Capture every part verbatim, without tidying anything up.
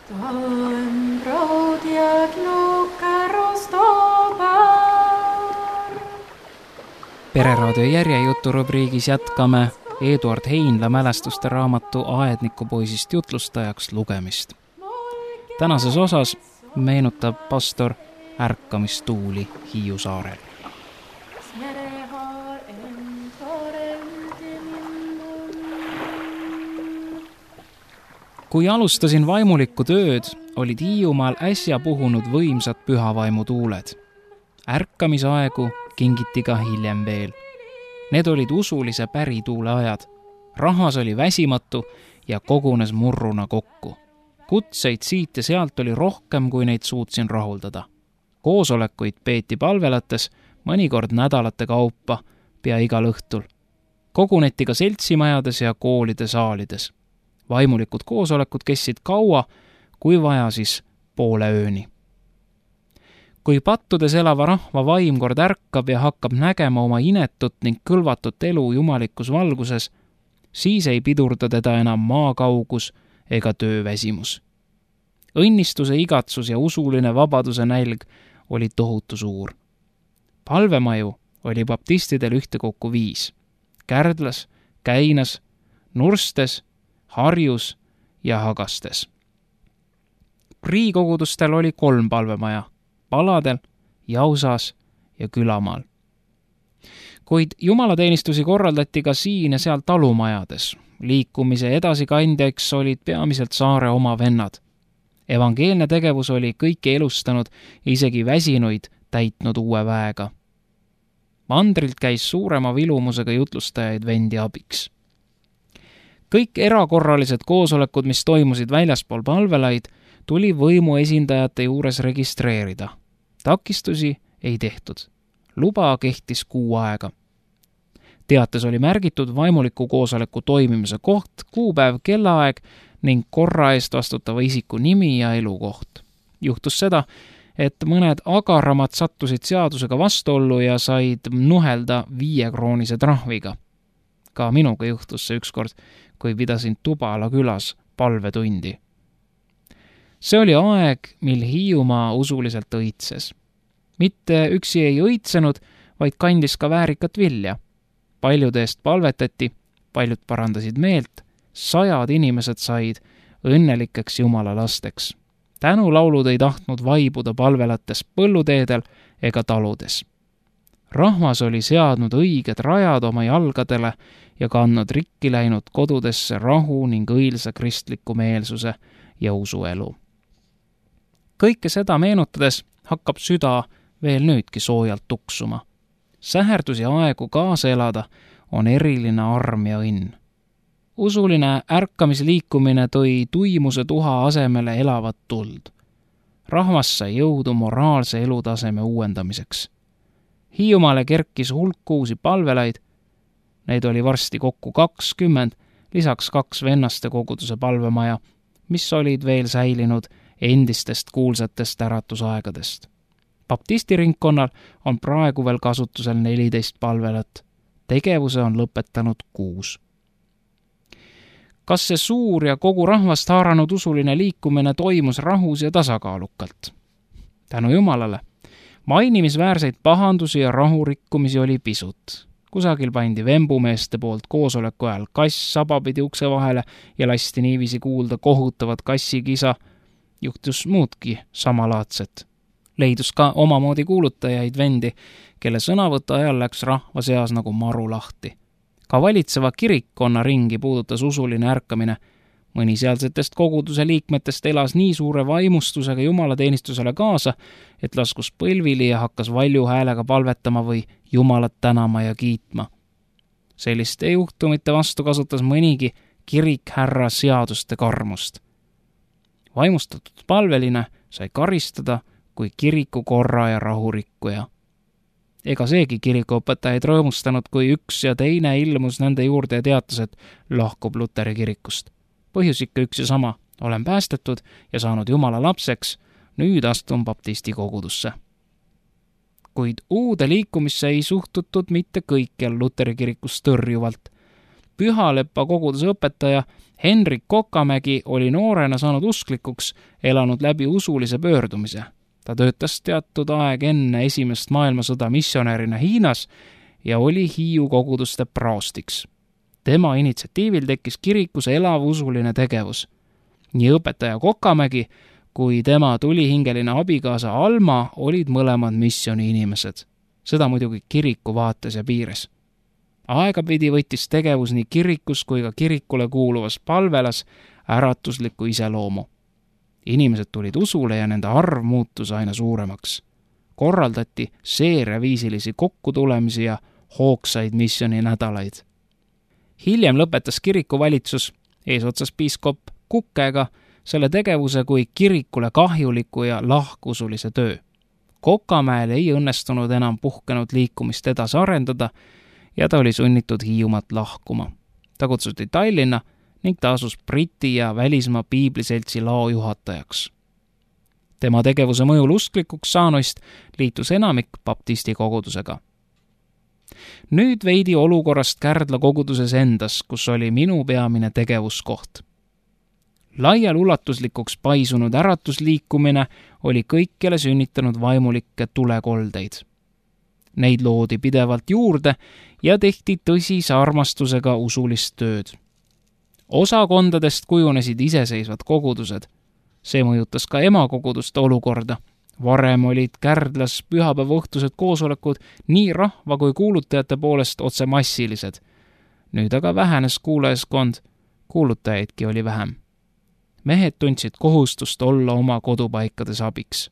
Tam proodiad lukerostobar. Pereraadio järjejuturubriigis jätkame Eduard Heinla mälestuste raamatu Aednikupoisist jutlustajaks lugemist. Tänases osas meenutab pastor ärkamistuuli Hiiu saarel. Kui alustasin vaimulikku tööd, olid Hiiumaal äsja puhunud võimsad pühavaimu tuuled. Ärkamisaegu kingiti ka hiljem veel. Need olid usulise pärituule ajad. Rahvas oli väsimatu ja kogunes murruna kokku. Kutseid siit ja sealt oli rohkem, kui neid suutsin rahuldada. Koosolekuid peeti palvelates mõnikord nädalate kaupa pea igal õhtul. Koguneti ka seltsimajades ja koolide saalides. Vaimulikud koosolekud kestsid kaua, kui vaja siis poole ööni. Kui pattudes elava rahva vaim kord ärkab ja hakkab nägema oma inetut ning kõlvatut elu jumalikus valguses, siis ei pidurda teda enam maakaugus ega tööväsimus. Õnnistuse igatsus ja usuline vabaduse nälg oli tohutu suur. Palvemaju oli baptistidel ühtekokku viis. Kärdlas, Käinas, Nurstes, Harjus ja Hagastes. Priikogudustel oli kolm palvemaja, Paladel, Jausas ja Külamaal. Kuid jumalateenistusi korraldati ka siin ja seal talumajades. Liikumise edasikandjaks olid peamiselt saare oma vennad. Evangeelne tegevus oli kõiki elustanud ja isegi väsinuid täitnud uue väega. Mandrilt käis suurema vilumusega jutlustajaid vendi abiks. Kõik erakorralised koosolekud, mis toimusid väljaspool palvelaid, tuli võimu esindajate juures registreerida. Takistusi ei tehtud. Luba kehtis kuu aega. Teates oli märgitud vaimuliku koosoleku toimimise koht, kuupäev, kellaaeg ning korra eest vastutava isiku nimi ja elukoht. Juhtus seda, et mõned agaramad sattusid seadusega vastuollu ja said nuhelda viiekroonise trahviga. Ka minuga juhtus see ükskord, kui pidasin Tubala külas palvetundi. See oli aeg, mil Hiiumaa usuliselt õitses. Mitte üksi ei õitsenud, vaid kandis ka väärikat vilja. Paljude eest palvetati, paljud parandasid meelt, sajad inimesed said õnnelikeks Jumala lasteks. Tänulaulud ei tahtnud vaibuda palvelates põlluteedel ega taludes. Rahvas oli seadnud õiged rajad oma jalgadele ja kandnud rikki läinud kodudesse rahu ning õilsa kristliku meelsuse ja usuelu. Kõike seda meenutades hakkab süda veel nüüdki soojalt tuksuma. Säherdus ja aegu kaasa elada on eriline arm ja õnn. Usuline ärkamisliikumine tõi tuimuse tuha asemele elavat tuld. Rahvas sai jõudu moraalse elutaseme uuendamiseks. Hiiumaale kerkis hulk uusi palvelaid, neid oli varsti kokku kakskümmend, lisaks kaks vennaste koguduse palvemaja, mis olid veel säilinud endistest kuulsatest äratusaegadest. Baptistiringkonnal on praegu veel kasutusel neliteist palvelat, tegevuse on lõpetanud kuus. Kas see suur ja kogu rahvast haaranud usuline liikumine toimus rahus ja tasakaalukalt? Tänu Jumalale. Mainimisväärseid pahandusi ja rahurikkumisi oli pisut. Kusagil pandi vembumeeste poolt koosoleku ajal kass sabapidi ukse vahele ja lasti niiviisi kuulda kohutavat kassikisa. Juhtus muudki samalaadset. Leidus ka omamoodi kuulutajaid vendi, kelle sõnavõtu ajal läks rahva seas nagu maru lahti. Ka valitseva kirikkonna ringi puudutas usuline ärkamine. Mõni sealsetest koguduse liikmetest elas nii suure vaimustusega jumalateenistusele kaasa, et laskus põlvili ja hakkas valju häälega palvetama või Jumalat tänama ja kiitma. Selliste juhtumite vastu kasutas mõnigi kirikhärra seaduste karmust. Vaimustatud palveline sai karistada kui kiriku korra ja rahurikkuja. Ega seegi kirikuõpetajaid rõõmustanud, kui üks ja teine ilmus nende juurde ja teatas, et lahkub Luteri kirikust. Põhjus ikka üks ja sama, olen päästetud ja saanud Jumala lapseks, nüüd astun baptisti kogudusse. Kuid uude liikumisse ei suhtutud mitte kõikjal Luteri kirikus tõrjuvalt. Pühaleppa koguduse õpetaja Henrik Kokamägi oli noorena saanud usklikuks, elanud läbi usulise pöördumise. Ta töötas teatud aeg enne esimest maailmasõda missionärina Hiinas ja oli Hiiu koguduste praostiks. Tema initsiatiivil tekkis kirikus elav usuline tegevus. Nii õpetaja Kokamägi kui tema tulihingeline abikaasa Alma olid mõlemad missiooni inimesed. Seda muidugi kiriku vaates ja piires. Aegapidi võttis tegevus nii kirikus kui ka kirikule kuuluvas palvelas äratuslikku iseloomu. Inimesed tulid usule ja nende arv muutus aina suuremaks. Korraldati seeriaviisilisi kokkutulemisi ja hoogsaid missiooni nädalaid. Hiljem lõpetas kirikuvalitsus eesotsas piiskop Kukega selle tegevuse kui kirikule kahjuliku ja lahkusulise töö. Kokamäel ei õnnestunud enam puhkenud liikumist edasi arendada ja ta oli sunnitud Hiiumaalt lahkuma. Ta kutsuti Tallinna ning ta asus Briti ja välismaa piibliseltsi lao juhatajaks. Tema tegevuse mõjul usklikuks saanuist liitus enamik baptisti kogudusega. Nüüd veidi olukorrast Kärdla koguduses endas, kus oli minu peamine tegevuskoht. Laial ulatuslikuks paisunud äratusliikumine oli kõikjale sünnitanud vaimulikke tulekoldeid. Neid loodi pidevalt juurde ja tehti tõsise armastusega usulist tööd. Osakondadest kujunesid iseseisvad kogudused. See mõjutas ka emakoguduste olukorda. Varem olid Kärdlas pühapäevaõhtused koosolekud nii rahva kui kuulutajate poolest otse massilised. Nüüd aga vähenes kuulajaskond, kuulutajaidki oli vähem. Mehed tundsid kohustust olla oma kodupaikades abiks.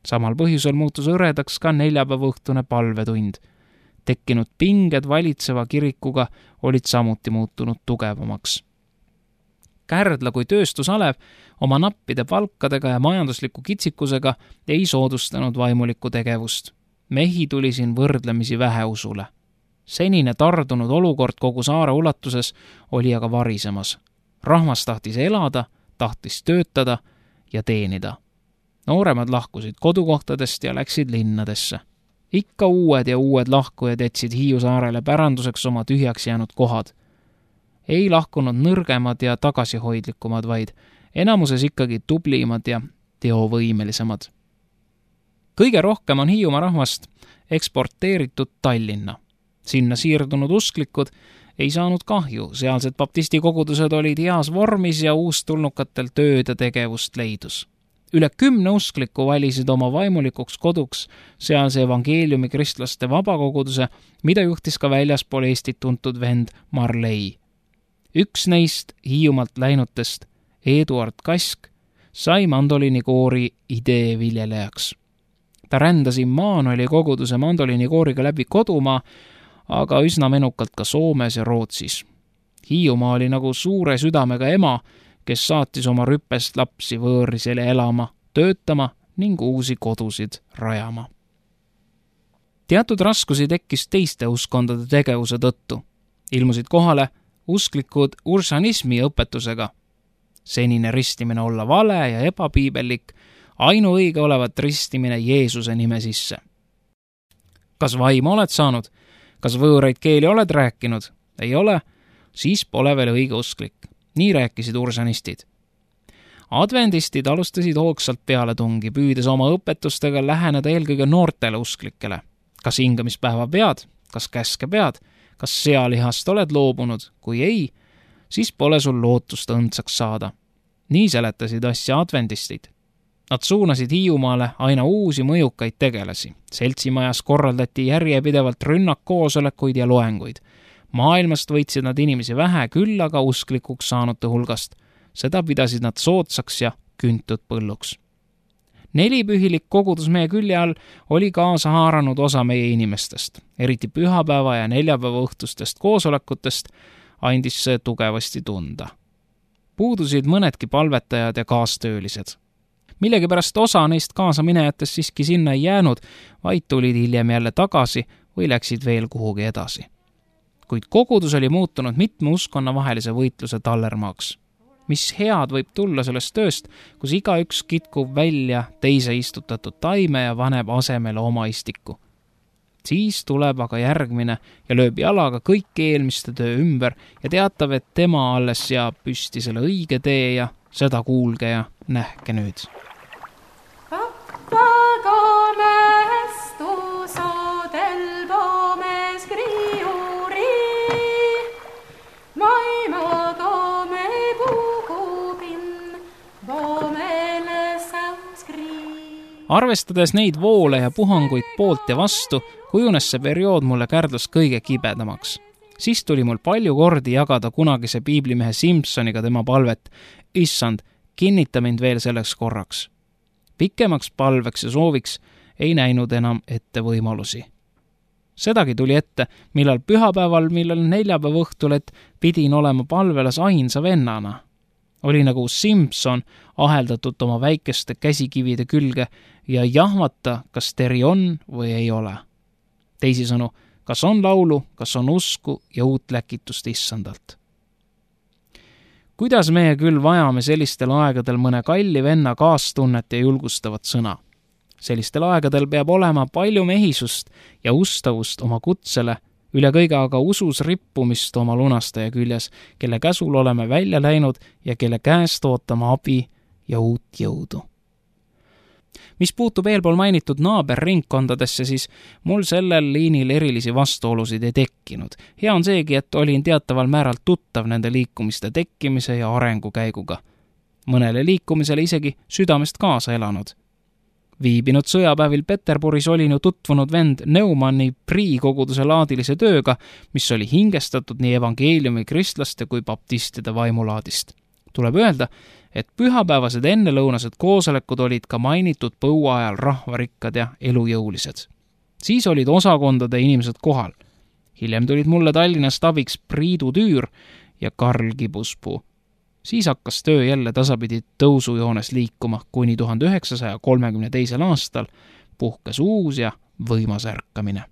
Samal põhjusel muutus õredaks ka neljapäevaõhtune palvetund. Tekkinud pinged valitseva kirikuga olid samuti muutunud tugevamaks. Kärdla kui tööstusalev oma nappide palkadega ja majandusliku kitsikusega ei soodustanud vaimulikku tegevust. Mehi tuli siin võrdlemisi vähe usule. Senine tardunud olukord kogu saare ulatuses oli aga varisemas. Rahvas tahtis elada, tahtis töötada ja teenida. Nooremad lahkusid kodukohtadest ja läksid linnadesse. Ikka uued ja uued lahkujad jätsid Hiiu saarele päranduseks oma tühjaks jäänud kohad. Ei lahkunud nõrgemad ja tagasihoidlikumad, vaid enamuses ikkagi tublimad ja teovõimelisemad. Kõige rohkem on Hiiumaa rahvast eksporteeritud Tallinna. Sinna siirdunud usklikud ei saanud kahju, sealsed baptisti kogudused olid heas vormis ja uustulnukatel tööd ja tegevust leidus. Üle kümne uskliku valisid oma vaimulikuks koduks sealse evangeeliumi kristlaste vabakoguduse, mida juhtis ka väljaspool Eestit tuntud vend Marlei. Üks neist Hiiumaalt läinutest, Eduard Kask, sai mandolinikoori idee viljelejaks. Ta rändas Immanueli koguduse mandolinikooriga läbi kodumaa, aga üsna menukalt ka Soomes ja Rootsis. Hiiumaa oli nagu suure südamega ema, kes saatis oma rüppest lapsi võõrisele elama, töötama ning uusi kodusid rajama. Teatud raskusi tekkis teiste uskondade tegevuse tõttu. Ilmusid kohale usklikud ursanismi õpetusega. Senine ristimine olla vale ja ebapiibellik, ainuõige olevat ristimine Jeesuse nime sisse. Kas vaimu oled saanud? Kas võõraid keeli oled rääkinud? Ei ole? Siis pole veel õige usklik. Nii rääkisid ursanistid. Adventistid alustasid hoogsalt pealetungi, püüdes oma õpetustega läheneda eelkõige noortele usklikele. Kas hingamispäeva pead? Kas käske pead? Kas sealihast oled loobunud? Kui ei, siis pole sul lootust õndsaks saada. Nii seletasid asja adventistid. Nad suunasid Hiiumaale aina uusi mõjukaid tegelasi. Seltsimajas korraldati järjepidevalt rünnakkoosolekuid ja loenguid. Maailmast võitsid nad inimesi vähe, küll aga usklikuks saanute hulgast. Seda pidasid nad soodsaks ja küntud põlluks. Nelipühilik kogudus meie külje all oli kaasa haaranud osa meie inimestest. Eriti pühapäeva ja neljapäeva õhtustest koosolekutest andis see tugevasti tunda. Puudusid mõnedki palvetajad ja kaastöölised. Millegipärast osa neist kaasaminejatest siiski sinna ei jäänud, vaid tulid hiljem jälle tagasi või läksid veel kuhugi edasi. Kuid kogudus oli muutunud mitme uskonna vahelise võitluse tallermaaks. Mis head võib tulla sellest tööst, kus igaüks kitkub välja teise istutatud taime ja vaneb asemele oma istiku. Siis tuleb aga järgmine ja lööb jalaga kõik eelmiste töö ümber ja teatab, et tema alles seab püsti selle õige tee ja seda kuulge ja nähke nüüd. Arvestades neid voole ja puhanguid poolt ja vastu, kujunes see periood mulle Kärdlas kõige kibedamaks. Siis tuli mul palju kordi jagada kunagise piiblimehe Simpsoniga tema palvet, issand, kinnita mind veel selleks korraks. Pikemaks palveks ja sooviks ei näinud enam ette võimalusi. Sedagi tuli ette, millal pühapäeval, millal neljapäeva õhtul, et pidin olema palvelas ainsa vennana. Oli nagu Simpson aheldatud oma väikeste käsikivide külge ja jahmata, kas teri on või ei ole. Teisisõnu, kas on laulu, kas on usku ja uut läkitust issandalt. Kuidas meie küll vajame sellistel aegadel mõne kalli venna kaastunnet ja julgustavat sõna? Sellistel aegadel peab olema palju mehisust ja ustavust oma kutsele, üle kõige aga usus rippumist oma lunastaja küljes, kelle käsul oleme välja läinud ja kelle käest ootama abi ja uut jõudu. Mis puutub eelpool mainitud naaberringkondadesse, siis mul sellel liinil erilisi vastuolusid ei tekkinud. Hea on seegi, et olin teataval määral tuttav nende liikumiste tekkimise ja arengukäiguga. Mõnele liikumisele isegi südamest kaasa elanud. Viibinud sõjapäevil Peterburis olin ju tutvunud vend Neumanni priikoguduse laadilise tööga, mis oli hingestatud nii evangeeliumi kristlaste kui baptistide vaimulaadist. Tuleb öelda, et pühapäevased ennelõunased koosolekud olid ka mainitud põua ajal rahvarikkad ja elujõulised. Siis olid osakondade inimesed kohal. Hiljem tulid mulle Tallinnast abiks Priidu Tüür ja Karl Kibuspuu. Siis hakkas töö jälle tasapidi tõusujoones liikuma, kuni tuhande üheksasaja kolmekümne teisel aastal puhkes uus ja võimas ärkamine.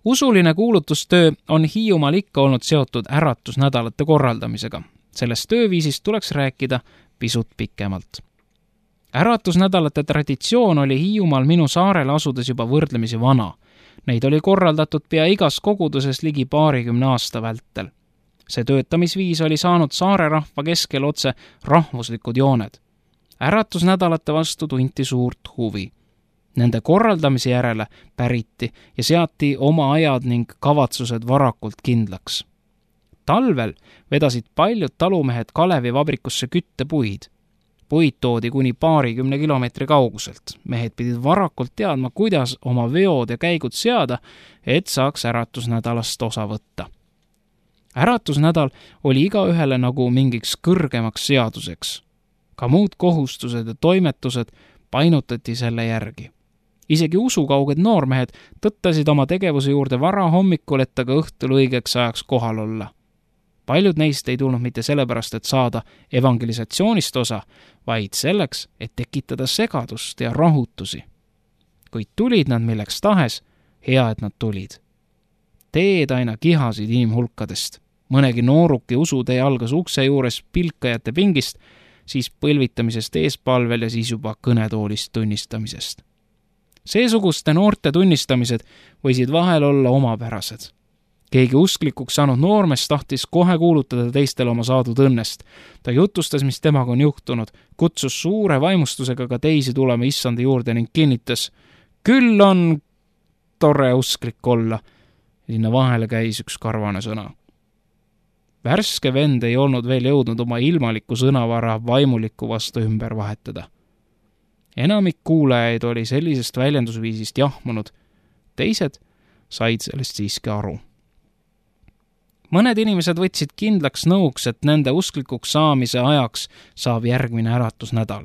Usuline kuulutustöö on Hiiumaal ikka olnud seotud äratusnädalate korraldamisega. Sellest tööviisist tuleks rääkida pisut pikemalt. Äratusnädalate traditsioon oli Hiiumaal minu saarele asudes juba võrdlemisi vana. Neid oli korraldatud pea igas koguduses ligi paarikümne aasta vältel. See töötamisviis oli saanud saare rahva keskel otse rahvuslikud jooned. Äratusnädalate vastu tunti suurt huvi. Nende korraldamise järele päriti ja seati oma ajad ning kavatsused varakult kindlaks. Talvel vedasid paljud talumehed Kalevi vabrikusse küttepuid. Puid toodi kuni paarikümne kilomeetri kauguselt. Mehed pidid varakult teadma, kuidas oma veod ja käigud seada, et saaks äratusnädalast osa võtta. Äratusnädal oli igaühele nagu mingiks kõrgemaks seaduseks. Ka muud kohustused ja toimetused painutati selle järgi. Isegi usukauged noormehed tõttasid oma tegevuse juurde vara hommikul, et aga õhtul õigeks ajaks kohal olla. Paljud neist ei tulnud mitte sellepärast, et saada evangelisatsioonist osa, vaid selleks, et tekitada segadust ja rahutusi. Kuid tulid nad milleks tahes, hea, et nad tulid. Teed aina kihasid inimhulkadest. Mõnegi nooruki usutee algas ukse juures pilkajate pingist, siis põlvitamisest eespalvel ja siis juba kõnetoolist tunnistamisest. Seesuguste noorte tunnistamised võisid vahel olla omapärased. Keegi usklikuks saanud noormes tahtis kohe kuulutada teistele oma saadud õnnest. Ta jutustas, mis temaga on juhtunud, kutsus suure vaimustusega ka teisi tulema issanda juurde ning kinnitas, küll on tore usklik olla. Sinna vahele käis üks karvane sõna. Värske vend ei olnud veel jõudnud oma ilmaliku sõnavara vaimuliku vastu ümber vahetada. Enamik kuulajaid oli sellisest väljendusviisist jahmunud, teised said sellest siiski aru. Mõned inimesed võtsid kindlaks nõuks, et nende usklikuks saamise ajaks saab järgmine äratusnädal.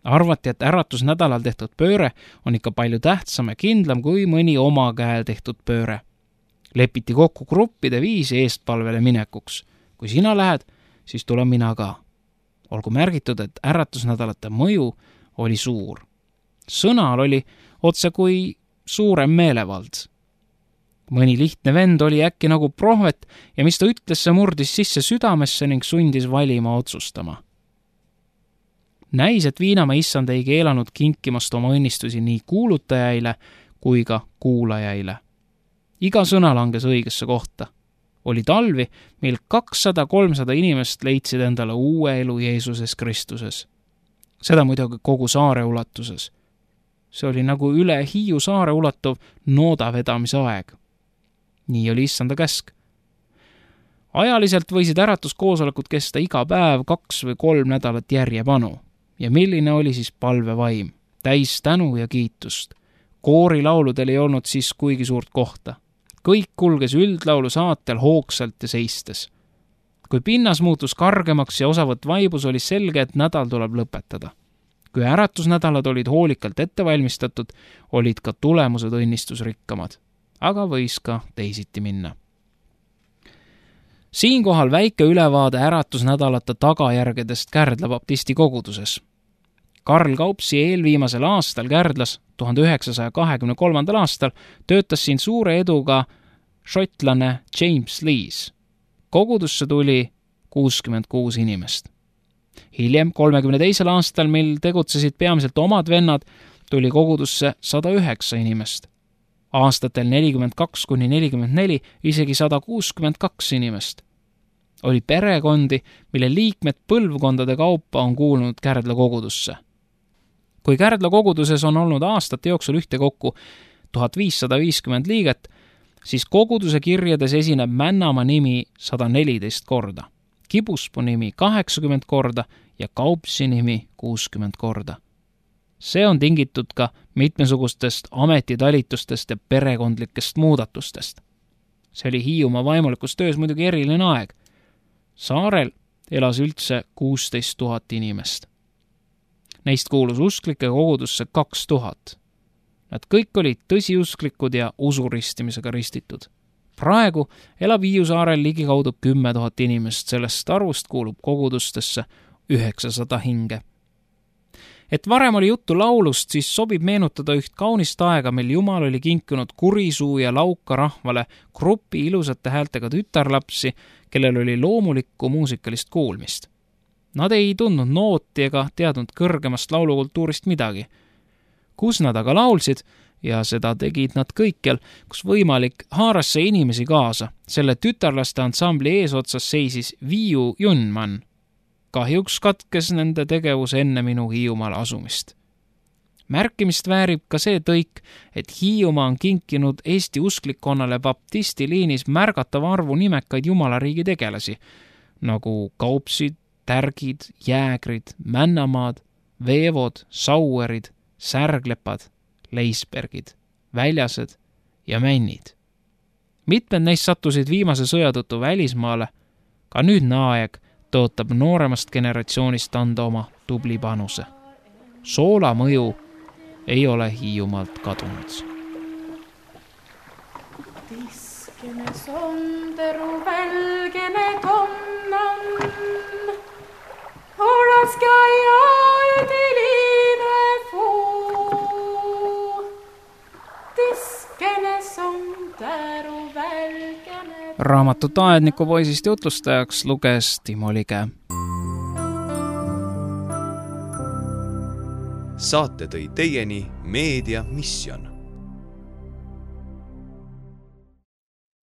Arvati, et äratusnädalal tehtud pööre on ikka palju tähtsam ja kindlam kui mõni oma käel tehtud pööre. Lepiti kokku gruppide viisi eestpalvele minekuks. Kui sina lähed, siis tulen mina ka. Olgu märgitud, et äratusnädalate mõju oli suur. Sõnal oli otse kui suurem meelevald. Mõni lihtne vend oli äkki nagu prohvet ja mis ta ütles, see murdis sisse südamesse ning sundis valima otsustama. Näis, et Viinamaa issand ei keelanud kinkimast oma õnnistusi nii kuulutajaile kui ka kuulajaile. Iga sõna langes õigesse kohta. Oli talvi, mil kakssada kolmsada inimest leidsid endale uue elu Jeesuses Kristuses. Seda muidugi kogu saare ulatuses. See oli nagu üle Hiiu saare ulatuv nooda vedamise aeg. Nii oli issanda käsk. Ajaliselt võisid äratuskoosolekud kesta iga päev kaks või kolm nädalat järjepanu. Ja milline oli siis palvevaim? Täis tänu ja kiitust. Koorilauludel ei olnud siis kuigi suurt kohta. Kõik kulges üldlaulu saatel hoogsalt ja seistes. Kui pinnas muutus kargemaks ja osavõtt vaibus, oli selge, et nädal tuleb lõpetada. Kui äratusnädalad olid hoolikalt ette valmistatud, olid ka tulemused õnnistusrikkamad. Aga võis ka teisiti minna. Siinkohal väike ülevaade äratusnädalate tagajärgedest Kärdla baptisti koguduses. Karl Kaupsi eelviimasel aastal Kärdlas, tuhande üheksasaja kahekümne kolmandal aastal, töötas siin suure eduga šotlane James Lees. Kogudusse tuli kuuskümmend kuus inimest. Hiljem, kolmekümne teisel aastal, mil tegutsesid peamiselt omad vennad, tuli kogudusse sada üheksa inimest. Aastatel nelikümmend kaks kuni nelikümmend neli isegi sada kuuskümmend kaks inimest. Oli perekondi, mille liikmed põlvkondade kaupa on kuulunud Kärdla kogudusse. Kui Kärdla koguduses on olnud aastate jooksul ühtekokku tuhat viissada viiskümmend liiget, siis koguduse kirjades esineb Männamaa nimi sada neliteist korda, Kibuspuu nimi kaheksakümmend korda ja Kaupsi nimi kuuskümmend korda. See on tingitud ka mitmesugustest ametitalitustest ja perekondlikest muudatustest. See oli Hiiumaa vaimulikus töös muidugi eriline aeg. Saarel elas üldse kuusteist tuhat inimest. Neist kuulus usklike kogudusse kaks tuhat. Nad kõik olid tõsiusklikud ja usuristimisega ristitud. Praegu elab Hiiu saarel ligikaudu kümme tuhat inimest, sellest arvust kuulub kogudustesse üheksasada hinge. Et varem oli juttu laulust, siis sobib meenutada üht kaunist aega, mil Jumal oli kinkinud Kurisuu ja Lauka rahvale grupi ilusate häältega tütarlapsi, kellel oli loomulikku muusikalist kuulmist. Nad ei tundnud nooti ega teadnud kõrgemast laulukultuurist midagi. Kus nad aga laulsid, ja seda tegid nad kõikjal, kus võimalik, haaras see inimesi kaasa. Selle tütarlaste ansambli eesotsas seisis Viiu Junman. Kahjuks katkes nende tegevus enne minu Hiiumaal asumist. Märkimist väärib ka see tõik, et Hiiumaa on kinkinud Eesti usklikkonnale baptisti liinis märgatava arvu nimekaid Jumalariigi tegelasi, nagu Kaupsid, Tärgid, Jäägrid, Männamaad, Veevod, Sauerid, Särglepad, Leisbergid, Väljased ja Männid. Mitmed neist sattusid viimase sõja tõttu välismaale, ka nüüdne aeg tõotab nooremast generatsioonist anda oma tubli panuse. Soola mõju ei ole Hiiumaalt kadunud. Tiskene sonderu välgene tonnan, olaska jaedi liive fuu. Tiskene sonderu välgene. Raamatut aedniku poisist jutlustajaks luges Timo Lige. Saate tõi teieni Meedia Mission.